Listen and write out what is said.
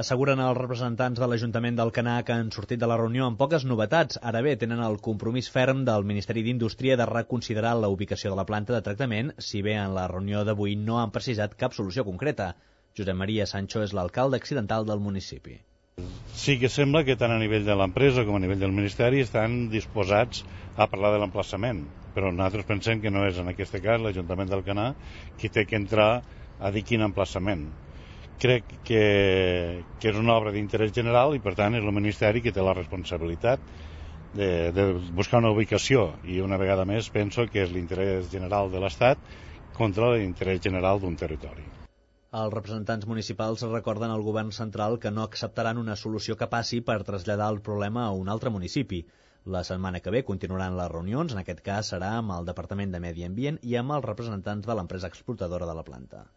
Asseguren els representants de l'Ajuntament d'Alcanar que han sortit de la reunió amb poques novetats. Ara bé, tenen el compromís ferm del Ministeri d'Indústria de reconsiderar la ubicació de la planta de tractament, si bé en la reunió d'avui no han precisat cap solució concreta. Josep Maria Sancho és l'alcalde accidental del municipi. Sí que sembla que tant a nivell de l'empresa com a nivell del Ministeri estan disposats a parlar de l'emplaçament, però nosaltres pensem que no és en aquest cas l'Ajuntament d'Alcanar qui té que entrar a dir quin emplaçament. Crec que és una obra d'interès general i per tant és el Ministeri qui té la responsabilitat de buscar una ubicació i una vegada més penso que és l'interès general de l'Estat contra l'interès general d'un territori. Els representants municipals recorden al govern central que no acceptaran una solució que passi per traslladar el problema a un altre municipi. La setmana que ve continuaran les reunions, en aquest cas serà amb el Departament de Medi Ambient i amb els representants de l'empresa explotadora de la planta.